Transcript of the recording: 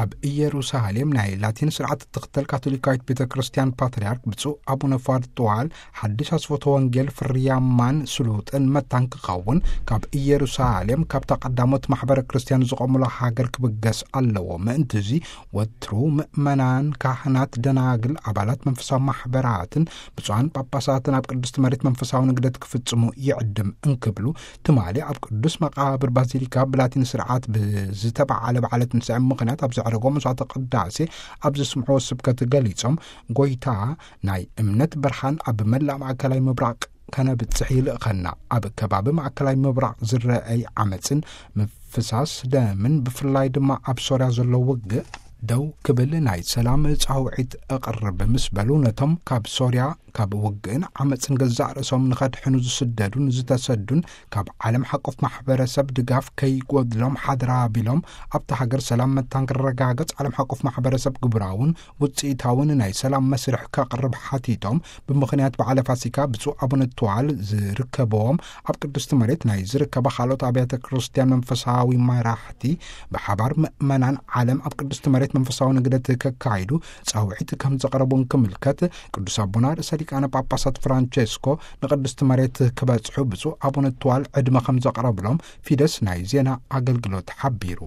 ኣብ ኢየሩሳሌም ናይ ላቲን ስርዓት እትኽተል ካቶሊካዊት ቤተ ክርስቲያን ፓትርያርክ ብፁዕ ኣቡነ ፋድጥዋል ሓድሽ ኣስፎተ ወንጌል ፍርያማን ስሉጥን መታን ክኸውን ካብ ኢየሩሳሌም ካብታ ቀዳሞት ማሕበረ ክርስቲያን ዝቖሙላ ሃገር ክብገስ ኣለዎ። ምእንቲ እዚ ወትሩ ምእመናን፣ ካህናት፣ ደናግል፣ ኣባላት መንፈሳዊ ማሕበራትን ብፁዓን ጳጳሳትን ኣብ ቅድስቲ መሬት መንፈሳዊ ንግደት ክፍጽሙ ይዕድም እንክብሉ ትማሊ ኣብ ቅዱስ መቓብር ባዚሊካ ብላቲን ስርዓት ብዝተባዓለ በዓለ ትንሳኤ ምኽንያት ኣብ ዘዕረጎ መስዋዕተ ቅዳሴ ኣብ ዘስምዕዎ ስብከት ገሊጾም፣ ጎይታ ናይ እምነት ብርሃን ኣብ መላእ ማእከላይ ምብራቕ ከነብጽሕ ይልእኸና። ኣብ ከባቢ ማእከላይ ምብራቕ ዝረኣይ ዓመጽን ምፍሳስ ደምን ብፍላይ ድማ ኣብ ሶርያ ዘሎ ውግእ ደው ክብል ናይ ሰላም ጻውዒት እቕርብ ምስ በሉ፣ ነቶም ካብ ሶርያ ካብ ውግእን ዓመጽን ገዛእ ርእሶም ንኸድሕኑ ዝስደዱን ዝተሰዱን ካብ ዓለም ሓቆፍ ማሕበረሰብ ድጋፍ ከይጎድሎም ሓድራ ቢሎም ኣብቲ ሃገር ሰላም መታን ክረጋገጽ ዓለም ሓቆፍ ማሕበረሰብ ግብራውን ውጽኢታውን ናይ ሰላም መስርሕ ከቕርብ ሓቲቶም፣ ብምኽንያት በዓለ ፋሲካ ብፁዕ ኣቡነ ትዋል ዝርከብዎም ኣብ ቅድስቲ መሬት ናይ ዝርከባ ካልኦት ኣብያተ ክርስቲያን መንፈሳዊ መራሕቲ ብሓባር ምእመናን ዓለም ኣብ ቅድስቲ መሬት መንፈሳዊ ንግደት ከካይዱ ጻውዒት ከም ዘቕረቡን ክምልከት፣ ቅዱስ ኣቦና ርእሰ ሊቃነ ጳጳሳት ፍራንቸስኮ ንቅድስቲ መሬት ክበጽሑ ብፁዕ ኣቡነ ትዋል ዕድመ ከም ዘቕረብሎም ፊደስ ናይ ዜና ኣገልግሎት ሓቢሩ።